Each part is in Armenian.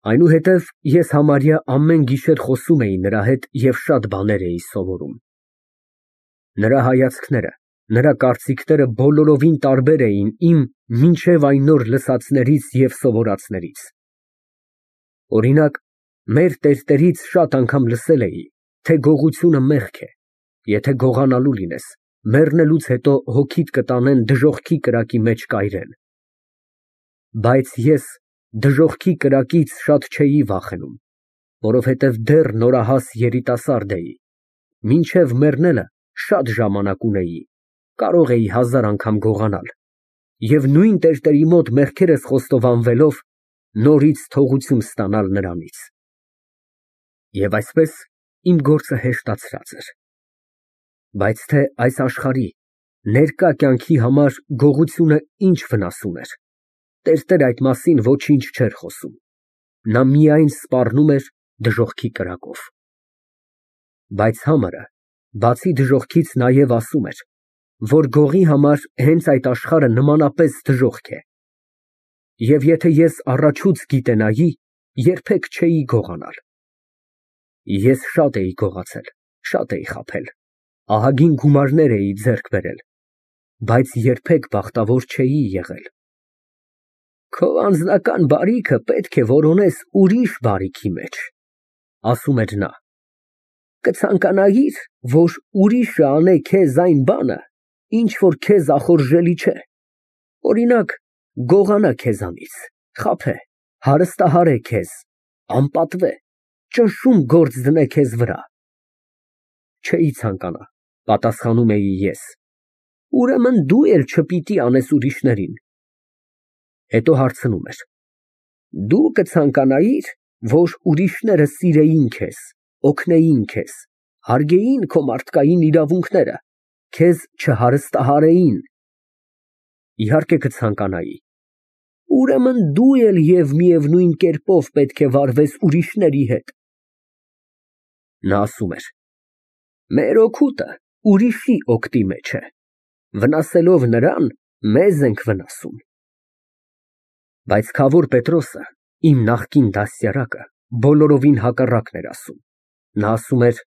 Այնուհետև ես համարյա ամեն գիշեր խոսում էի նրա հետ և շատ բաներ էի սովորում։ Նրա հայացքները, նրա կարծիքները բոլորովին տարբեր էին իմ մինչև այն օր լսածներից և սովորածներից։ Օրինակ, մեր տերտերից շատ անգամ լսել էի, թե գողությունը մեղք է, եթե գողանալու լինես, մեռնելուց հետո հոգիդ կտանեն դժոխքի կրակի մեջ կայրել։ Բայց ես դժոխքի կրակից շատ չէի վախենում, որովհետև դեռ նորահաս երիտասարդ էի, մինչև մեռնելը շատ ժամանակ ունեի, կարող էի 1000 անգամ գողանալ և նույն տերտերի մոտ մեղքերս խոստովանվելով նորից թողություն ստանալ նրանից։ Եվ այսպես իմ գործը հեշտացրած էր։ Բայց թե այս աշխարհի ներկա կյանքի համար գողությունը ինչ վնաս ուներ, տերտերը այդ մասին ոչինչ չէր խոսում, նա միայն սպառնում էր դժոխքի կրակով։ Բայց համարը, բացի դժոխքից, նաև ասում էր, որ գողի համար հենց այդ աշխարհը նմանապես դժոխք է, և եթե ես առաջուց գիտենայի, երբեք չէի գողանալ։ Ես շատ էի գողացել, շատ էի խաբել, ահագին գումարներ էի ձեռք բերել, բայց երբեք բախտավոր չէի եղել։ Քո անձնական բարիքը պետք է որոնես ուրիշ բարիքի մեջ, ասում էր նա, կցանկանայիր, որ ուրիշը անե քեզ այն բանը, ինչ որ քեզ ախորժելի չէ, օրինակ, գողանա քեզանից, խաբե, հարստահարե քեզ, անպատվե, ճնշում գործ դնե քեզ վրա։ Չէի ցանկանա, պատասխանում էի ես, ուրեմն դու էլ չպիտի անես ուրիշներին։ Հետո հարցնում էր. Դու կցանկանայիր, որ ուրիշները սիրեին քեզ, օգնեին քեզ, հարգեին քո մարդկային իրավունքները, քեզ չհարստահարեին։ Իհարկե կցանկանայի։ Ուրեմն դու էլ և միևնույն կերպով պետք է վարվես ուրիշների հետ։ Նա ասում էր. մեր օգուտը ուրիշի օգտի մեջ է, վնասելով նրան, մեզ ենք վնասում։ Բայց Քավոր Պետրոսը, իմ նախկին դաստիարակը, բոլորովին հակառակն էր ասում։ Նա ասում էր.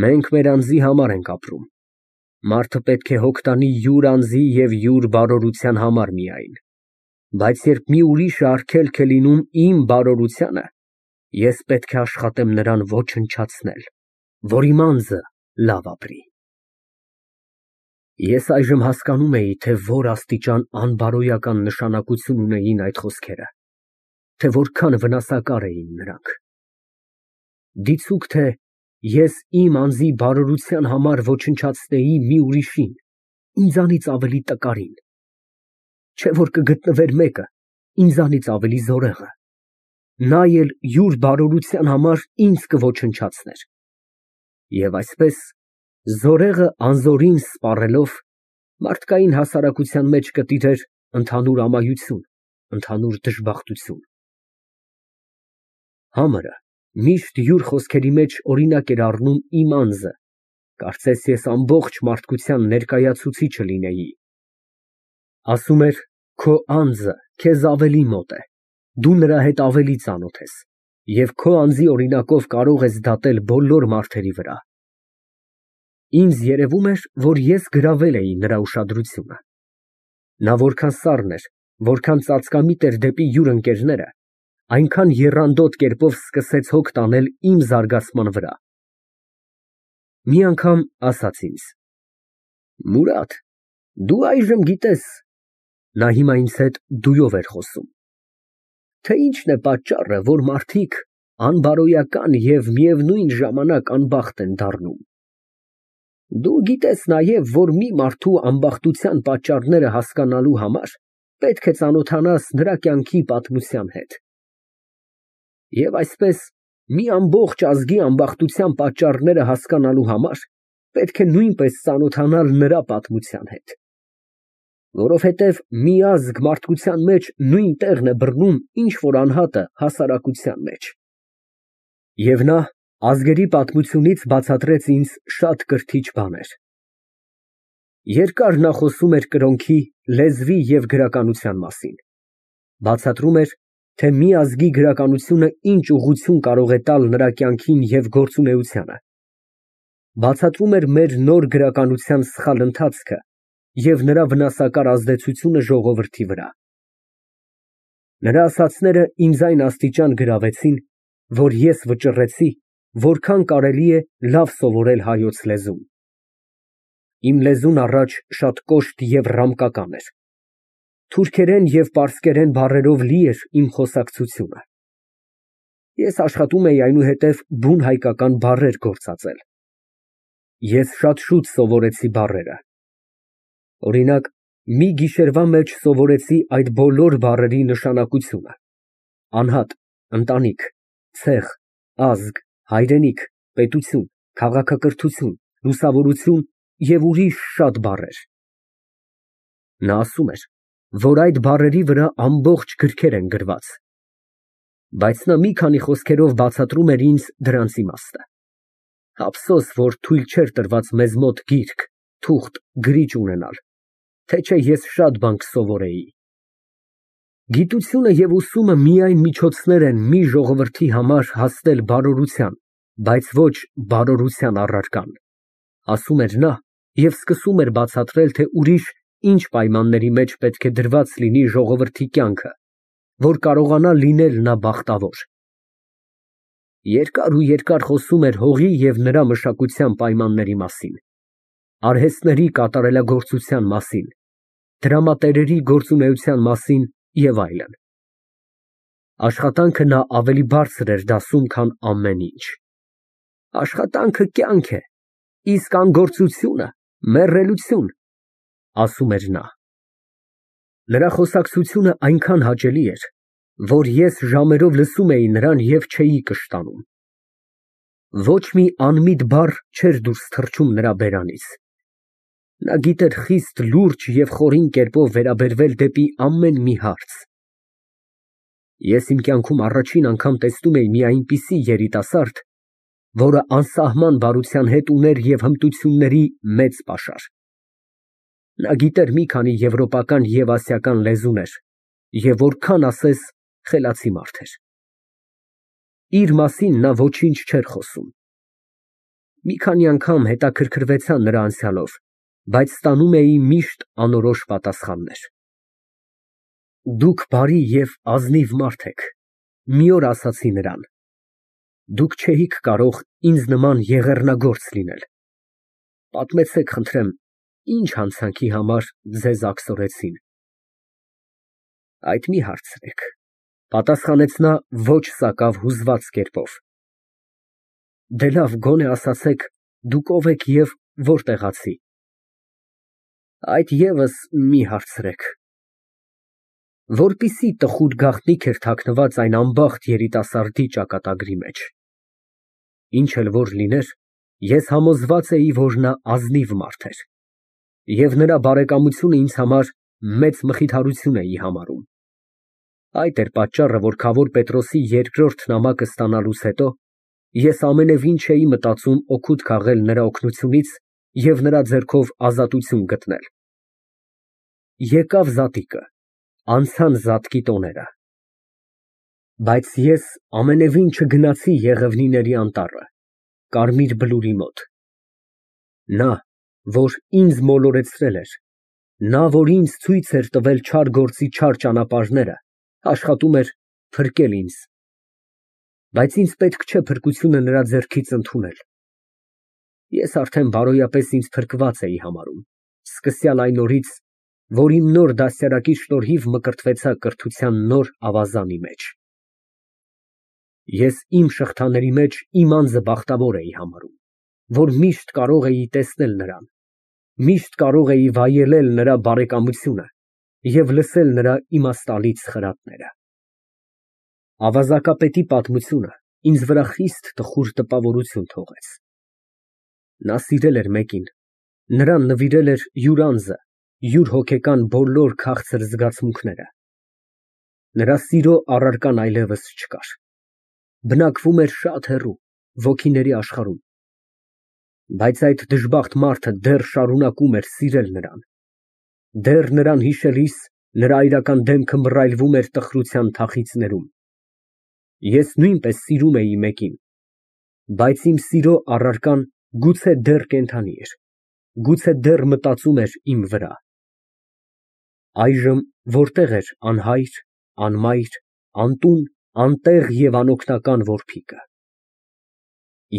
մենք մեր անձի համար ենք ապրում, մարդը պետք է հոգ տանի յուր անձի և յուր բարօրության համար միայն, բայց երբ մի ուրիշը արգելք է լինում իմ բարօրությանը, ես պետք է աշխատեմ նրան ոչնչացնել, որ իմ անձը լավ ապրի։ Ես այժմ հասկանում էի, թե որ աստիճան անբարոյական նշանակություն ունեին այդ խոսքերը, թե որքան վնասակար էին նրանք։ Դիցուք թե ես իմ անձի բարօրության համար ոչնչացնեի մի ուրիշին, ինձանից ավելի տկարին, չէ որ կգտնվեր մեկը ինձանից ավելի զորեղը, նա էլ յուր բարօրության համար ինձ կոչնչացներ, և այսպես զորեղը անզորին սպառելով, մարդկային հասարակության մեջ կտիրեր ընդհանուր ամայություն, ընդհանուր դժբախտություն։ Համարը միշտ յուր խոսքերի մեջ օրինակ էր առնում իմ անձը, կարծես ես ամբողջ մարդկության ներկայացուցիչը լինեի։ Ասում էր, քո անձը քեզ ավելի մոտ է, դու նրա հետ ավելի ծանոթ ես, և քո անձի օրինակով կարող ես դատել բոլոր մարդերի վրա։ Ինձ երևում էր, որ ես գրավել էի նրա ուշադրությունը։ Նա որքան սառն էր, որքան ծածկամիտ էր դեպի յուր ընկերները, այնքան եռանդոտ կերպով սկսեց հոգ տանել իմ զարգացման վրա։ Մի անգամ ասաց ինձ. Մուրադ, դու այժմ գիտես (նա հիմա ինձ հետ դույով էր խոսում), թե ինչն է պատճառը, որ մարդիկ անբարոյական և միևնույն ժամանակ անբախտ են դառնում։ Դու գիտես նաև, որ մի մարդու անբախտության պատճառները հասկանալու համար պետք է ծանոթանաս նրա կյանքի պատմության հետ։ Եվ այսպես, մի ամբողջ ազգի անբախտության պատճառները հասկանալու համար պետք է նույնպես ծանոթանալ նրա պատմության հետ։ Որովհետև մի ազգ մարդկության մեջ նույն տեղն է բռնում, ինչ որ անհատը հասարակության մեջ։ Եվ նա ազգերի պատմությունից բացատրեց ինձ շատ կրթիչ բաներ։ Երկար նա խոսում էր կրոնքի, լեզվի և գրականության մասին։ Բացատրում էր, թե մի ազգի գրականությունը ինչ ուղղություն կարող է տալ նրա կյանքին և գործունեությանը։ Բացատրում էր մեր նոր գրականության սխալ ընթացքը և նրա վնասակար ազդեցությունը ժողովրդի վրա։ Նրա ասածները ինձ այն աստիճան գրավեցին, որ ես վճռեցի, որքան կարելի է լավ սովորել հայոց լեզուն։ Իմ լեզուն առաջ շատ կոշտ և ռամկական էր։ Թուրքերեն և պարսկերեն բառերով լի էր իմ խոսակցությունը։ Ես աշխատում էի այնուհետև բուն հայկական բառեր գործածել։ Ես շատ շուտ սովորեցի բառերը։ Օրինակ, մի գիշերվա մեջ սովորեցի այդ բոլոր բառերի նշանակությունը. անհատ, ընտանիք, ցեղ, ազգ, հայրենիք, պետություն, քաղաքակրթություն, լուսավորություն և ուրիշ շատ բառեր։ Նա ասում էր, որ այդ բառերի վրա ամբողջ գրքեր են գրված, բայց նա մի քանի խոսքերով բացատրում էր ինձ դրանց իմաստը։ Ափսոս, որ թույլ չէր տրված մեզ մոտ գիրք, թուղթ, գրիչ ունենալ, թե չէ ես շատ բան կսովորեի։ Գիտությունը և ուսումը միայն միջոցներ են մի ժողովրդի համար հասնել բարօրության, բայց ոչ բարօրության առարկան, ասում էր նա և սկսում էր բացատրել, թե ուրիշ ինչ պայմանների մեջ պետք է դրված լինի ժողովրդի կյանքը, որ կարողանա լինել նա բախտավոր։ Երկար ու երկար խոսում էր հողի և նրա մշակության պայմանների մասին, արհեստների կատարելագործության մասին, դրամատերերի գործունեության մասին և այլն։ Աշխատանքը նա ավելի բարձր էր դասում, քան ամեն ինչ։ Աշխատանքը կյանք է, իսկ անգործությունը մեռելություն, ասում էր նա։ Նրա խոսակցությունը այնքան հաճելի էր, որ ես ժամերով լսում էի նրան և չէի կշտանում։ Ոչ մի անմիտ բառ չէր դուրս թռչում նրա բերանից։ Նա գիտեր խիստ լուրջ և խորին կերպով վերաբերվել դեպի ամեն մի հարց։ Ես իմ կյանքում առաջին անգամ տեսնում էի մի այնպիսի երիտասարդ, որը անսահման բարության հետ ուներ և հմտությունների մեծ պաշար։ Նա գիտեր մի քանի եվրոպական և ասիական լեզուներ և որքան ասես խելացի մարդ էր։ Իր մասին նա ոչինչ չէր խոսում։ Մի քանի անգամ հետաքրքրվեցա նրա անցյալով, բայց ստանում էի միշտ անորոշ պատասխաններ։ Դուք բարի և ազնիվ մարդ եք, մի օր ասացի նրան, դուք չէիք կարող ինձ նման եղեռնագործ լինել։ Պատմեցեք, խնդրեմ, ինչ հանցանքի համար ձեզ աքսորեցին։ Այդ մի հարցրեք, պատասխանեց նա ոչ սակավ հուզված կերպով։ Դե լավ, գոնե ասացեք, դուք ով եք և որտեղացի։ Այդ ևս մի հարցրեք։ Որպիսի տխուր գաղտնիք էր թաքնված այն անբախտ երիտասարդի ճակատագրի մեջ։ Ինչ էլ որ լիներ, ես համոզված էի, որ նա ազնիվ մարդ էր, և նրա բարեկամությունը ինձ համար մեծ մխիթարություն էի համարում։ Այդ էր պատճառը, որ Քավոր Պետրոսի երկրորդ նամակը ստանալուց հետո ես ամենևին չէի մտածում օգուտ քաղել նրա օգնությունից և նրա ձեռքով ազատություն գտնել։ Եկավ զատիկը, անցան զատկի տոները։ Բայց ես ամենևին չգնացի Եղևնիների անտառը, Կարմիր Բլուրի մոտ։ Նա, որ ինձ մոլորեցրել էր, նա, որ ինձ ցույց էր տվել չար գործի չար ճանապարհները, աշխատում էր փրկել ինձ, բայց ինձ պետք չէ փրկությունը նրա ձեռքից ընդունել։ Ես արդեն բարոյապես ինձ փրկված էի համարում, սկսյալ այն օրից, որ իմ նոր դաստիարակի շնորհիվ մկրտվեցա կրթության նոր ավազանի մեջ։ Ես իմ շղթաների մեջ իմ անձը բախտավոր էի համարում, որ միշտ կարող էի տեսնել նրան, միշտ կարող էի վայելել նրա բարեկամությունը և լսել նրա իմաստալից խրատները։ Ավազակապետի պատմությունը ինձ վրա խիստ տխուր տպավորություն թողեց։ Նա սիրել էր մեկին, նրան նվիրել էր յուր անձը, յուր հոգեկան բոլոր քաղցր զգացմունքները։ Նրա սիրո առարկան այլևս չկար, բնակվում էր շատ հեռու, ոգիների աշխարհում, բայց այդ դժբախտ մարդը դեռ շարունակում էր սիրել նրան, դեռ նրան հիշելիս Նրա այրական դեմքը մռայլվում էր տխրության թախիծներում։ Ես նույնպես սիրում էի մեկին, բայց իմ սիրո առարկան գուցե դեռ կենդանի էր, գուցե դեռ մտածում էր իմ վրա։ Այժմ որտեղ էր անհայր, անմայր, անտուն, անտեղ և անօգնական որբիկը։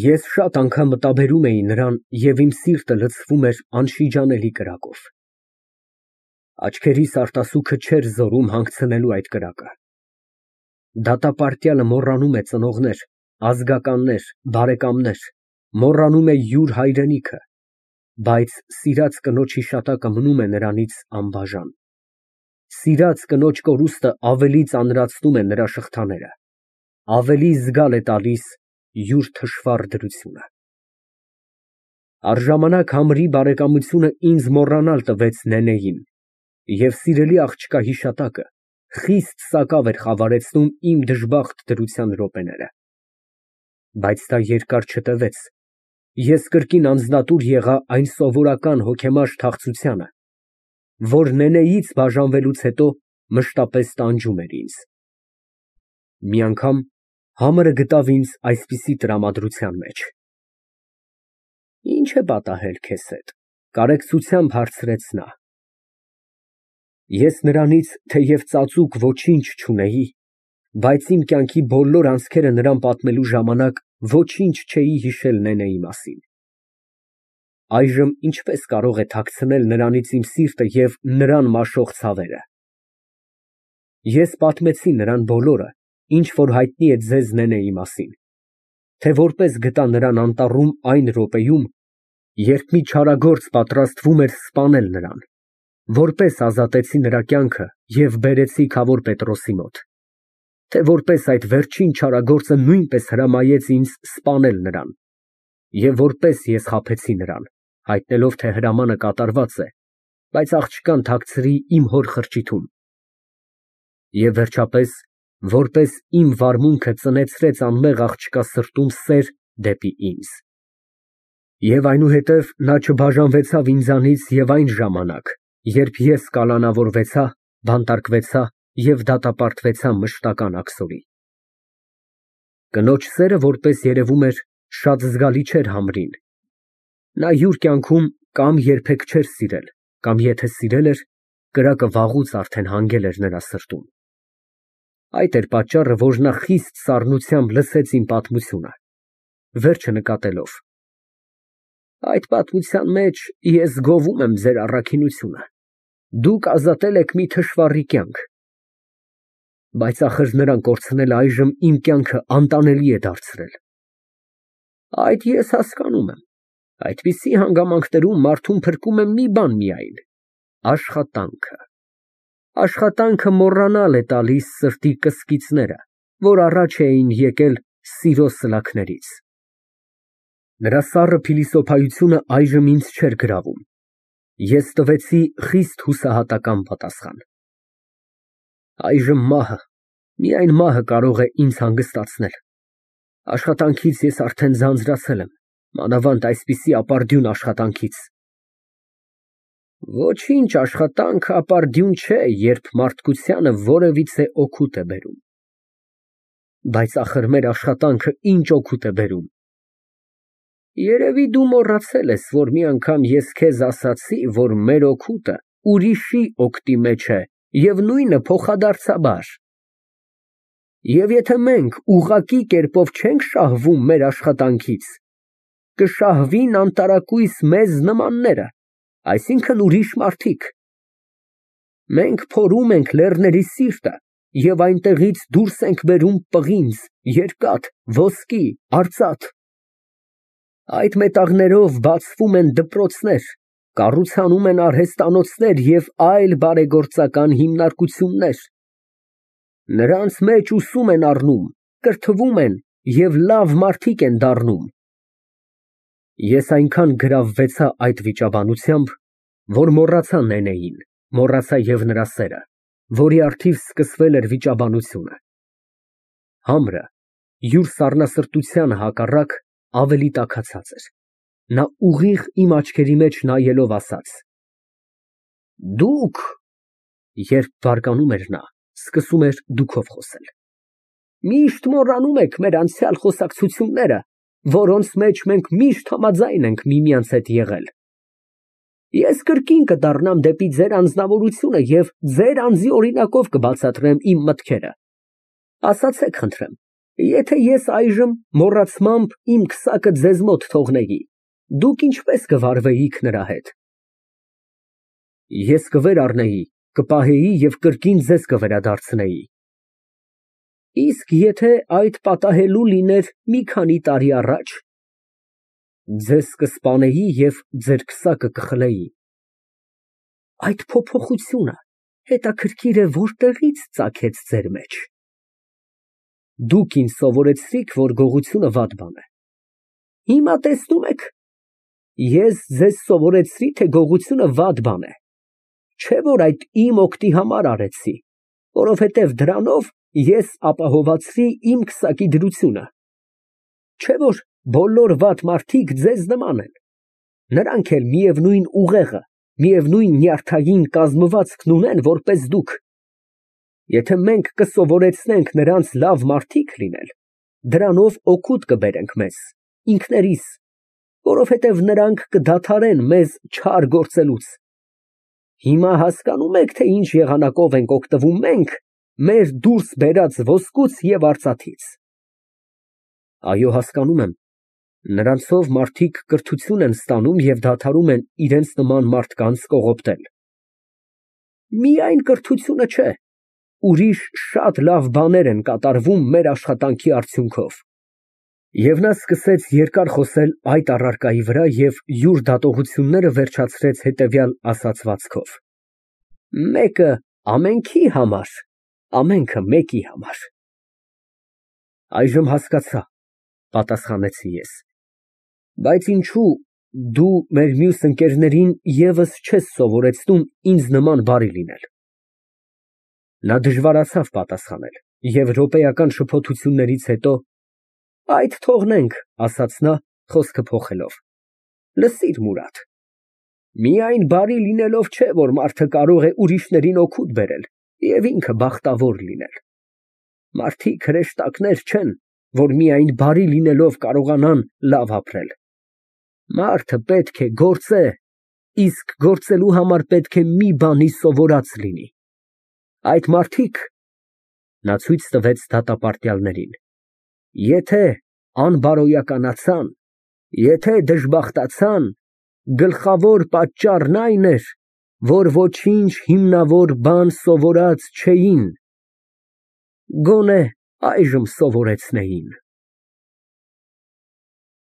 Ես շատ անգամ մտաբերում էի նրան և իմ սիրտը լցվում էր անշիջանելի կրակով։ Աչքերիս արտասուքը չէր զորում հանգցնելու այդ կրակը։ Դատապարտյալը մոռանում է ծնողներ, ազգականներ, բարեկամներ, մոռանում է յուր հայրենիքը, բայց սիրած կնոջ հիշատակը մնում է նրանից անբաժան։ Սիրած կնոջ կորուստը ավելի ծանրացնում է նրա շղթաները, ավելի զգալ է տալիս յուր թշվառ դրությունը։ Առժամանակ համրի բարեկամությունը ինձ մոռանալ տվեց Նենեին, և սիրելի աղջկա հիշատակը խիստ սակավ էր խավարեցնում իմ դժբախտ դրության րոպեները։ Բայց դա երկար չտևեց, ես կրկին անձնատուր եղա այն սովորական հոգեմաշ թախծությանը, որ Նենեից բաժանվելուց հետո մշտապես տանջում էր ինձ։ Մի անգամ համարը գտավ ինձ այսպիսի տրամադրության մեջ։ Ինչ է պատահել քեզ հետ, կարեկցությամբ հարցրեց նա։ Ես նրանից թեև ծածուկ ոչինչ չունեի, բայց իմ կյանքի բոլոր անցքերը նրան պատմելու ժամանակ ոչինչ չէի հիշել Նենեի մասին։ Այժմ ինչպես կարող է թաքցնել նրանից իմ սիրտը և նրան մաշող ցավերը։ Ես պատմեցի նրան բոլորը, ինչ որ հայտնի է ձեզ Նենեի մասին, թե որպես գտա նրան անտառում այն րոպեում, երբ մի չարագործ պատրաստվում էր սպանել նրան, որպես ազատեցի նրա կյանքը և բերեցի Քավոր Պետրոսի մոտ, թե որպես այդ վերջին չարագործը նույնպես հրամայեց ինձ սպանել նրան, և որպես ես խաբեցի նրան, հայտնելով, թե հրամանը կատարված է, բայց աղջկան թաքցրի իմ հոր խրճիթում, և վերջապես, որպես իմ վարմունքը ծնեցրեց անմեղ աղջկա սրտում սեր դեպի ինձ։ Եվ այնուհետև նա չբաժանվեցավ ինձանից և այն ժամանակ, երբ ես կալանավորվեցա, բանտարկվեցա և դատապարտվեցա մշտական աքսորի։ Կնոջ սերը, որպես երևում էր, շատ զգալի չէր համրին։ Նա յուր կյանքում կամ երբեք չէր սիրել, կամ եթե սիրել էր, կրակը վաղուց արդեն հանգել էր նրա սրտում։ Այդ էր պատճառը, որ նա խիստ սառնությամբ լսեց իմ պատմությունը, վերջը նկատելով. Այդ պատմության մեջ ես գովում եմ ձեր առաքինությունը, դուք ազատել եք մի թշվառի կյանք, բայց ախր նրան կորցնելը այժմ իմ կյանքը անտանելի է դարձրել։ Այդ ես հասկանում եմ, այդպիսի հանգամանքներում մարդուն փրկում է մի բան միայն՝ աշխատանքը։ Աշխատանքը մոռանալ է տալիս սրտի կսկիծները, որ առաջ էին եկել սիրո սլաքներից։ Նրա սառը փիլիսոփայությունը այժմ ինձ չէր գրավում։ Ես տվեցի խիստ հուսահատական պատասխան։ Այժմ մահը, միայն մահը կարող է ինձ հանգստացնել։ Աշխատանքից ես արդեն ձանձրացել եմ, մանավանդ այսպիսի ապարդյուն աշխատանքից։ Ոչինչ աշխատանք ապարդյուն չէ, երբ մարդկությանը որևիցե օգուտ է բերում։ Բայց ախր մեր աշխատանքը ինչ օգուտ է բերում։ Երևի դու մոռացել ես, որ մի անգամ ես քեզ ասացի, որ մեր օգուտը ուրիշի օգտի մեջ է և նույնը փոխադարձաբար։ Եվ եթե մենք ուղղակի կերպով չենք շահվում մեր աշխատանքից, կշահվին անտարակույս մեզ նմանները, այսինքն ուրիշ մարդիկ։ Մենք փորում ենք լեռների սիրտը և այնտեղից դուրս ենք բերում պղինձ, երկաթ, ոսկի, արծաթ։ Այդ մետաղներով բացվում են դպրոցներ, կառուցանում են արհեստանոցներ և այլ բարեգործական հիմնարկություններ։ Նրանց մեջ ուսում են առնում, կրթվում են և լավ մարդիկ են դառնում։ Ես այնքան գրավվեցա այդ վիճաբանությամբ, որ մոռացա Նենեին, մոռացա և նրա սերը, որի առթիվ սկսվել էր վիճաբանությունը։ Համրը, յուր սառնասրտությանը հակառակ, ավելի տաքացած էր։ Նա ուղիղ իմ աչքերի մեջ նայելով ասաց. Դուք Երբ բարկանում էր նա, սկսում էր դուքով խոսել. Միշտ մոռանում եք մեր անցյալ խոսակցությունները, որոնց մեջ մենք միշտ համաձայն ենք միմյանց հետ եղել։ Ես կրկին կդառնամ դեպի ձեր անձնավորությունը և ձեր անձի օրինակով կբացատրեմ իմ մտքերը։ Ասացեք, խնդրեմ, եթե ես այժմ մոռացմամբ իմ քսակը ձեզ մոտ թողնեի, դուք ինչպես կվարվեիք նրա հետ։ Ես կվերառնեի, կպահեի և կրկին ձեզ կվերադարձնեի։ Իսկ եթե այդ պատահելու լիներ մի քանի տարի առաջ, ձեզ կսպանեի և ձեր քսակը կխլեի։ Այդ փոփոխությունը հետաքրքիր է որտեղից ծագեց ձեր մեջ։ Դուք ինձ սովորեցրիք, որ գողությունը վատ բան է։ Հիմա տեսնում եք, ես ձեզ սովորեցրի, թե գողությունը վատ բան է։ Չէ՞ որ այդ իմ օգտի համար արեցի, որովհետև դրանով ես ապահովացրի իմ քսակի դրությունը։ Չէ՞ որ բոլոր վատ մարդիկ ձեզ նման են։ Նրանք էլ միևնույն ուղեղը, միևնույն նյարդային կազմվածքն ունեն, որպես դուք։ Եթե մենք կսովորեցնենք նրանց լավ մարդիկ լինել, դրանով օգուտ կբերենք մեզ, ինքներիս, որովհետև նրանք կդադարեն մեզ չար գործելուց։ Հիմա հասկանում եք, թե ինչ եղանակով ենք օգտվում մենք մեր դուրս բերած ոսկուց և արծաթից։ Այո, հասկանում եմ, նրանցով մարդիկ կրթություն են ստանում և դադարում են իրենց նման մարդկանց կողոպտել։ Միայն կրթությունը չէ, ուրիշ շատ լավ բաներ են կատարվում մեր աշխատանքի արդյունքով։ Եվ նա սկսեց երկար խոսել այդ առարկայի վրա և յուր դատողությունները վերջացրեց հետևյալ ասացվածքով. Մեկը ամենքի համար, ամենքը մեկի համար։ Այժմ հասկացա, պատասխանեցի ես, բայց ինչո՞ւ դու մեր մյուս ընկերներին ևս չես սովորեցնում ինձ նման բարի լինել։ Նա դժվարացավ պատասխանել և րոպեական շփոթություններից հետո այդ թողնենք, ասաց նա, խոսքը փոխելով, լսիր, Մուրադ, միայն բարի լինելով չէ, որ մարդը կարող է ուրիշներին օգուտ բերել և ինքը բախտավոր լինել։ Մարդիկ հրեշտակներ չեն, որ միայն բարի լինելով կարողանան լավ ապրել։ Մարդը պետք է գործե, իսկ գործելու համար պետք է մի բանի սովորած լինի։ Այդ մարդիկ (նա ցույց տվեց դատապարտյալներին) եթե անբարոյականացան, եթե դժբախտացան, գլխավոր պատճառն այն էր, որ ոչինչ հիմնավոր բան սովորած չէին, գոնե այժմ սովորեցնեին։